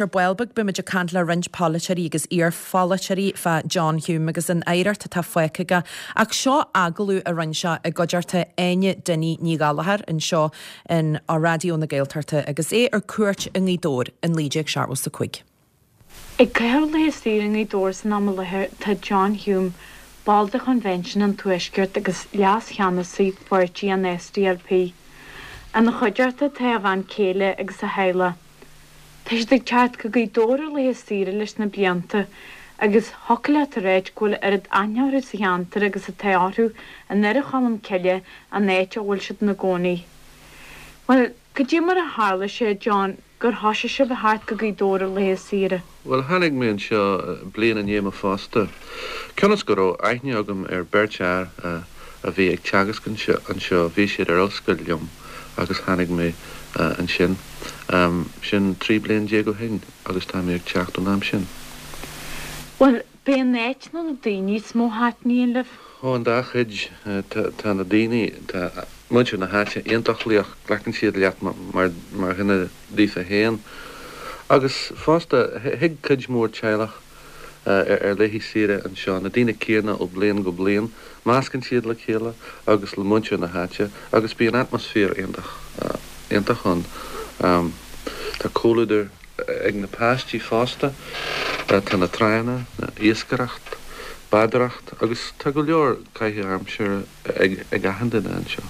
Ar ball beag beimid ag caint le roinnt polaiteoirí agus iar-pholaiteoirí fá John Hume agus an oidhreacht atá fágtha aige. Ach seo agallamh a rinne sé i gcuideachta Áine Dinny Ní Ghallchóir anseo in Raidió na Gaeltachta agus é ar cuairt i nGaoth Dobhair in 1975. Ag caitheamh laetha saoire i nGaoth Dobhair san am i láthair tá John Hume, ball de Chonvention an Tuaiscirt agus leas-cheannasaí pháirtí an SDLP. Ina chuideachta tá a bhean céile agus a theaghlach. Tá siad ag teacht go Gaoth Dobhair ar laetha saoire leis na blianta agus thiocfadh leat a ráit go bhfuil oiread aithne orthu sa cheantar agus atá orthu i nDoire Cholm Cille, an áit a bhfuil siad ina gcónaí. Bhuel, cad é mar a tharla sé, John, gur thoisigh sibh a theacht go Gaoth Dobhair ar laetha saoire? Bhuel, tháinig mé anseo bliain i ndiaidh mo phósta. Cionn is go raibh aithne agam ar beirt fhear a bhí ag teagasc anseo, bhí siad ar ollscoil liom agus tháinig mé ansin. Sin 13 bliain ó shin agus tá mé ag teacht ón am sin. Bhuel, b'é an áit nó na daoine is mó a thaitníonn libh? Ó, an dá chuid. Tá na daoine, tá muintir na háite iontach laoch, glacann siad leat mar dhuine daofa féin. Agus fosta, thig cuid mhór teaghlach ar laethe saoire anseo, na daoine céanna ó bliain go bliain, meascann siad le chéile agus le muintir na háite agus bíonn atmaisféar iontach, iontach ann. Tá comhluadar ag na páistí fosta, tá na tránna, iascaireacht, bádóireacht agus tá go leor caitheamh aimsire ag achan duine anseo.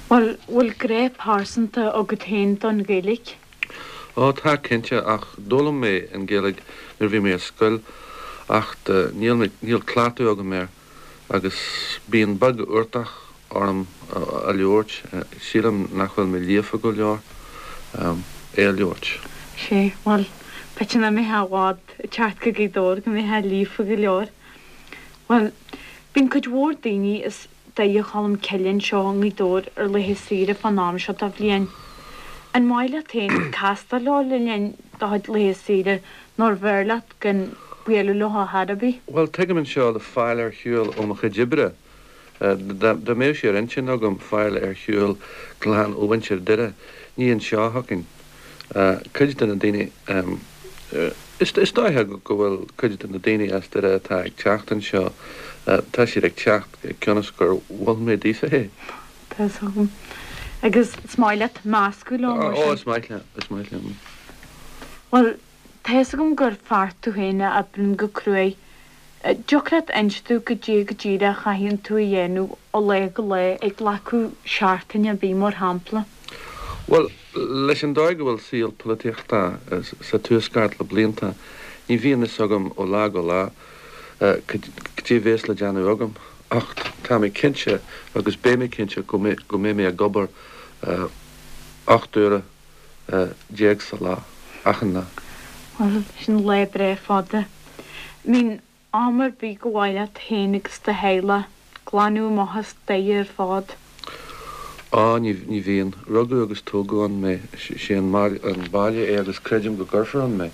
Bhuel, bhfuil grá pearsanta agat féin don Ghaeilge? Ó tá, cinnte, ach d'fhoghlaim mé an Ghaeilge nuair a bhí mé ar scoil acht níl mé, níl cleachtadh agam air agus bíonn beag uchtach orm a labhairt, sílim nach bhfuil mé líofa go leor é a labhairt. Sea, bhuel, b'fhéidir nach mbeifeá i bhfad ag teacht go Gaoth Dobhair go mbeifeá líofa go leor. Bhuel, bíonn cuid mhór daoine as Doire Cholm Cille anseo i nGaoth Dobhair ar laetha saoire fán am seo de bhliain. An maith leat féin castáil leo le linn do chuid laetha saoire nó arbh fhearr leat gan bualadh leo ar chor ar bith? Bhuel, tigim anseo le fáil ar shiúl ó mo chuid oibre. Dá mbeadh sé ar intinn agam fáil ar shiúl glan ó mhuintir Doire, ní anseo a thiocfainn. Cuid de na daoine, is dóiche go bhfuil cuid de na daoine as Doire atá ag teacht anseo, tá siad ag teacht cionn is gur mhol mé daofa é. Tá fhios agam. Agus is maith leat meascadh leo mar sin? Ó, is maith liom, is maith liom. Bhuel, tá fhios agam gur fear tú féin a oibríonn go cruaidh. Dtiocfadh leat inse domh goidé go díreach a chaitheann tú a dhéanamh ó lá go lá ag glacadh seachtaine ar bith mar shampla? Bhuel, leis an dóigh go bhfuil saol polaitíochta sa Tuaisceart le blianta, ní bhíonn fhios agam ó lá go lá cad é bhéas le déanamh agam. Ach tá mé cinnte, agus beidh mé cinnte, go mbeidh mé ag obair 18 uaire sa lá, achan lá. Bhuel, sin lá breá fada. I mean, Am ar bith gur mhaith leat féin agus do theaghlach glanadh amach as Doire ar fad? Á, ní, ní bhíonn. Rugadh agus tógadh ann mé. Sé an baile é agus creidim go gcuirfear ann mé.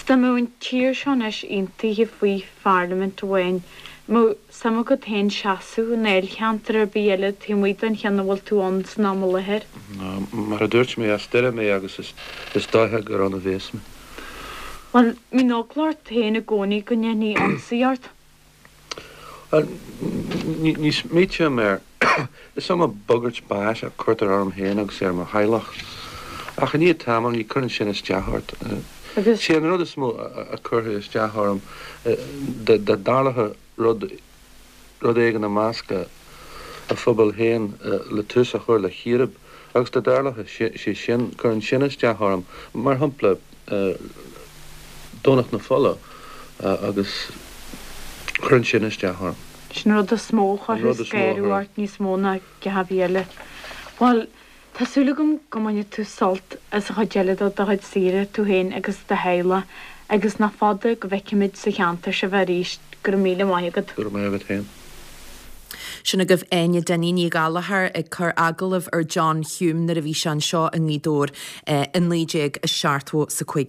Dá mbeadh an tír seo anois aontaithe faoi pharlaimint amháin, an mbeadh suim agat féin seasamh i ndáilcheantar ar bith eile taobh amuigh den cheann a bhfuil tú ann san am i láthair? Mar a dúirt mé, as Doire mé agus is dóiche gur ann a bhéas mé. Bhuel, mbíonn eagla ort féin i gcónaí go ndéanfaí ionsaí ort? Bhuel, ní smaoitím air. Is iomaí bagairt báis a cuirtear orm féin agus ar mo theaghlach. Ach i ndiaidh tamaill, ní cuireann sin isteach ort. Sé an rud is mó a chuirfeadh isteach orm, dá dtarlódh rud, rud éigin i measc a phobail féin le tús a chur le chíréib agus dá dtarlódh sé sin, cuireann sin isteach orm. Mar shampla, Domhnach na Fola agus cuireann sin isteach orm. Sin an rud is mó a chuirfeadh scanradh ort níos mó ná a dhath ar bith eile. Bhuel, Tá súil agam go mbainfidh tú sult as an chuid eile de do chuid saoire, tú féin agus do theaghlach, agus nach fada go bhfeicfimid sa cheantar sibh arís. Go raibh míle maith agat. Go raibh maith agat féin. Sin agaibh Áine Dinny Ní Ghallchóir ag cur agallamh ar John Hume nuair a bhí sé anseo i nGaoth Dobhair i 1975.